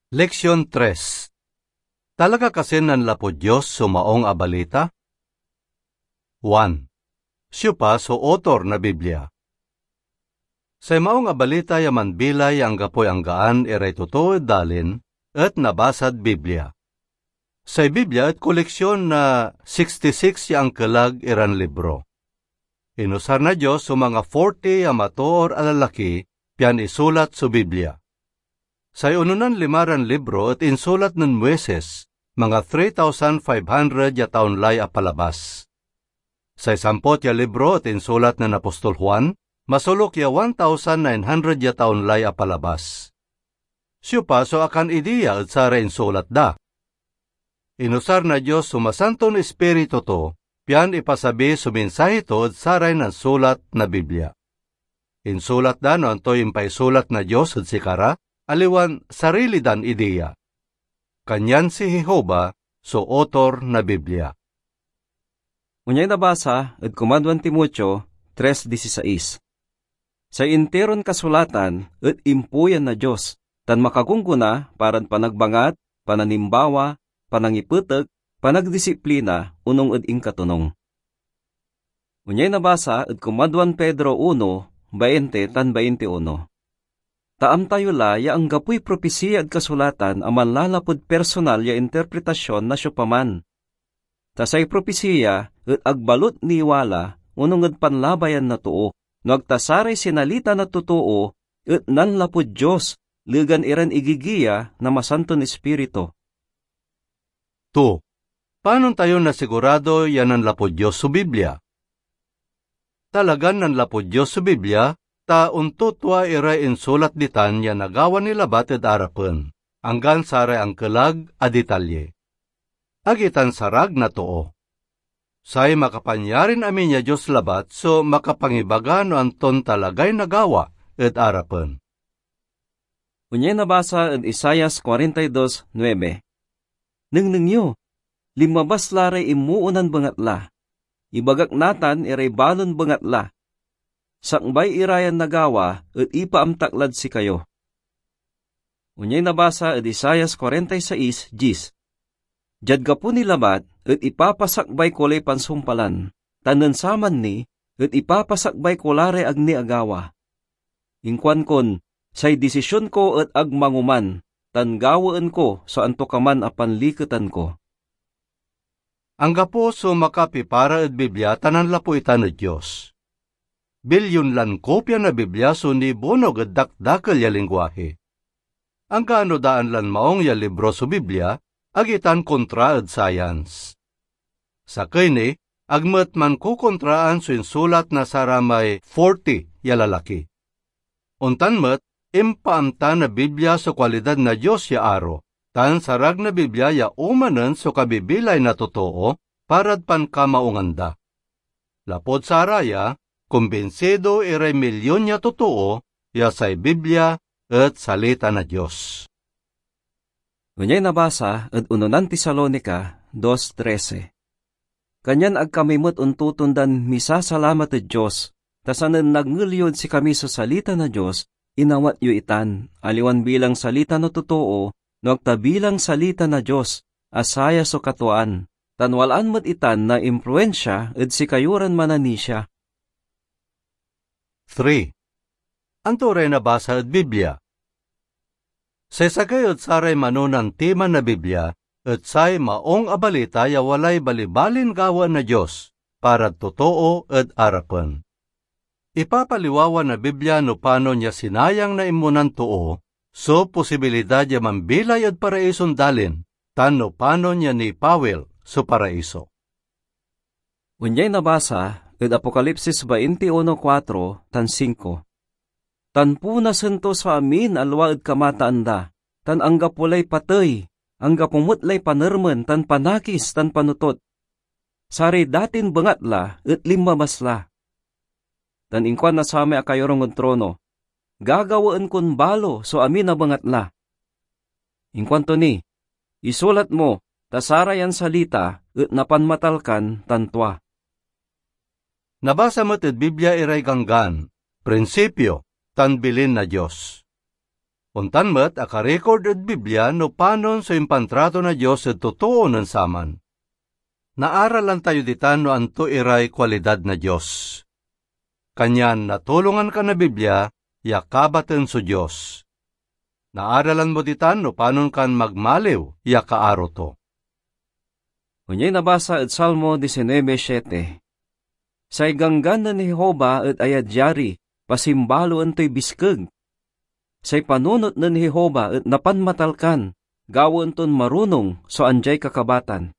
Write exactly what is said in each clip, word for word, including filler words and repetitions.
Leksyon tres. Talaga kasin nanlapud Dios so Maung a Balita? One. Siopa so author na Biblia? Say Maung a Balita ya manbilay ya anggapoy anggaan iray totoo ed dalin et nabasad Biblia. Say Biblia et koleksyon na sixty-six ya angkelag iran libro. Inusar na Dios so manga forty ya matoor a lalaki pian isulat so Biblia. Say ononan lima ran libro et insulat nen Moises, manga three thousand five hundred ya taon lay apalabas. Say sampot ya libro et insulat nen apostol Juan, masoluk ya one thousand nine hundred ya taon lay apalabas. Siopa so akanidea ed saray insulat da? Inusar na Dios so Masanton Ispiritu to pian ipasabi so mensahe to ed saray nansulat na Biblia. Insulat da no antoy impaisulat na Dios ed sikara, aliwan sarili dan idea. Kanyan si Jehovah so author na Biblia. Onyay nabasa ed Kumadwan Timoteo tres dieciséis. Say interon kasulatan et impuyan na Dios, tan makagunggona parad panagbangat, pananimbawa, panangipetek, panagdisiplina, onung ed inkatonung. Onyay nabasa ed Kumadwan Pedro uno, bainte tan baintiuno. Ta amta yo la ya anggapoy propisiya ed kasulatan a manlalapud personal ya interpretasyon na siopaman. Ta say propisiya et ag balut niwala onung ed panlabayan na too, no ag ta saray sinalita na totoo et nanlapud Dios, legan iran igigiya na Masanton Ispiritu. Two. Panon tayo nasigurado ya nanlapud Dios so Biblia? Talagan nanlapud Dios so Biblia, ta ontutua iray insulat ditan ya nagawa ni labat ed arapen, anggan saray angkelag a detalye. Ag itan sarag na too. Say makapanyarin amin ya Dios labat so makapangibaga no anton talagay nagawa ed arapen. Onyay nabasa ed Isaias forty-two nine, "Nengneng yo, linmabas la ray inmoonan bengatla. Ibagak natan iray balon bengatla. Sakbay ira yan nagawa et ipaamtak lad sikayo." Onyay nabasa ed Isaias forty-six diez, "Diad gapo ni labat et ipapasakbay ko lay pansumpalan, tan nen saman ni et ipapasakbay ko la ray ag ni agawa. Inkuankon, say disision ko et ag mangoman, tan gawaen ko so antokaman a panliketan ko." Anggapo so makapipara ed Biblia ta nanlapu itan ed Dios. Bilyon lan kopia na Biblia so nibonog ed dakdakel ya lingwahe. Anggano daan lan maung ya libro so Biblia, ag itan kontra ed science. Sakey ni, ag met mankokontraan so insulat na saramay forty ya lalaki. Ontan met, impaamta na Biblia so kualidad na Dios ya aro, tan sarag na Biblia ya omanen so kabibilay na totoo parad pankamaungan da. Lapud saraya, kumbinsido iray milyon ya totoo ya say Biblia et Salita na Dios. Onyay nabasa ed Unonan Tesalonica dos trese. Kanyan ag kami met ontotondan misasalamat ed Dios, ta sanen nadngel yod sikami so salita na Dios, inawat yo itan, aliwan bilang salita na totoo, no ag ta bilang salita na Dios, a saya so katuaan, tan walaan met itan na impluensia ed sikayo ran mananisia. Three. Anto ray nabasa ed Biblia? Say sakey ed saray manonan tema na Biblia et say Maung a Balita ya walay balibalin gawaen na Dios parad totoo ed arapen. Ipapaliwawa na Biblia no panon ya sinayang na inmonan too so posibilidad ya mambilay ed paraison dalin tan no panon ya nipawil so paraiso. Onyay nabasa ed Apokalipsis veintiuno cuatro tan cinco, "Tan punasen to so amin a lua ed kamataan da, tan anggapo lay patey, anggapo met lay panermen tan panakis tan panotot. Saray datin bengatla et linmabas la." Tan inkuan na samay akayorung ed trono, "Gagawaen kon balo so amin a bengatla." Inkuanto ni, "Isulat mo, ta sarayan salita et napanmatalkan tan tua." Nabasa met ed Biblia iray ganggan, prinsipio, tan bilin na Dios. Ontan met, akarikord ed Biblia no panon so impantrato na Dios ed totoo nen saman. Naaralan tayo ditan no anto iray kualidad na Dios. Kanyan natulongan ka na Biblia ya kabaten so Dios. Naaralan mo ditan no panon kan magmaliw ya kaaro to. Onyay nabasa ed Salmo diecinuebe siete, "Say Ganggan nen Jehovah et ayadyari, pasimbaloen toy biskeg. Say panunot nen Jehovah et napanmatalkan, gawaen ton marunong so andiay kakabatan."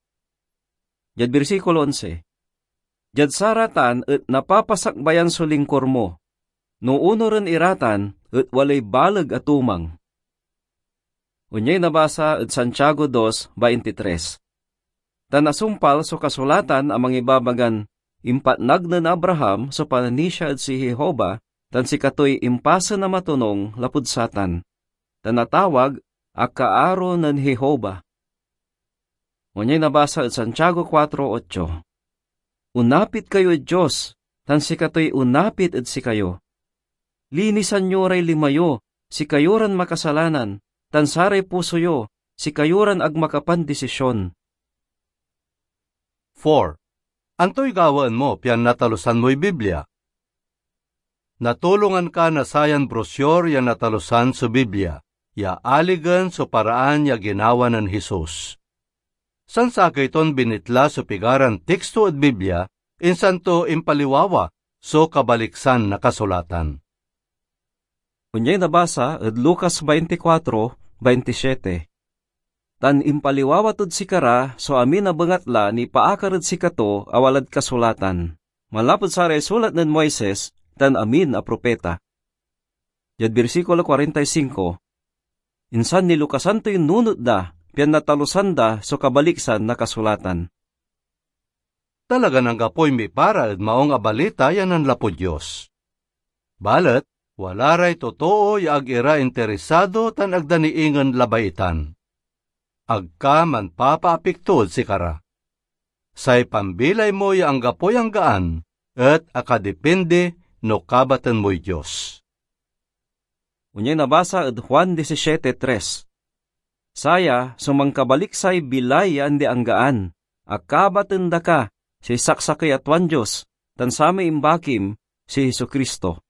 Diad bersikulo onse, "Diad saratan et napapasakbayan so lingkor mo. No onuren ira tan et walay baleg a tumang." Onyay nabasa ed Santiago dos baintitres, "Tan asumpal so kasulatan a mangibabagan impatnag nen Abraham so pananisia ed si Jehovah, tan sikatoy impasen a matonung lapud satan, tan natawag a kaaro nen Jehovah." Onyay nabasa ed Santiago kuatro otso, "Onapit kayo ed Dios, tan sikatoy onapit ed sikayo. Linisan yo ray lima yo, sikayo ran makasalanan, tan saray puso yo, sikayo ran ag makapandisision." Four. Antoy gawaen mo pian natalusan moy Biblia? Natulongan ka na sayan brosyor ya natalusan so Biblia, ya aligen so paraan ya ginawa nen Jesus. Sansakey ton binitla so pigaran teksto ed Biblia, insan to impaliwawa so kabaliksan na kasulatan. Onyay nabasa ed Lucas veinticuatro veintisiete, "Tan impaliwawa tod sikara so amin a bengatla nipaakar ed sikato a walad kasulatan, manlapud saray sulat nen Moises tan amin a propeta." Diad bersikulo kuarenta y singko, "Insan nilukasan toy nunot da, pian natalusan da so kabaliksan na kasulatan." Talagan anggapoy mipara ed Maung a Balita ya nanlapud Dios. Balet, wala ray totoo ya ag ira interesado tan ag da ni ingen labay itan. Ag ka manpapaapekto ed sikara. Say pambilay mo ya anggapoy anggaan et akadipindi no kabaten moy Dios. Onyay nabasa ed Juan disisiete tres, "Saya so mankabaliksay bilay ya andi-anggaan a kabaten da ka, say saksakey a tuan Dios, tan samay imbakim, si Jesu-Cristo."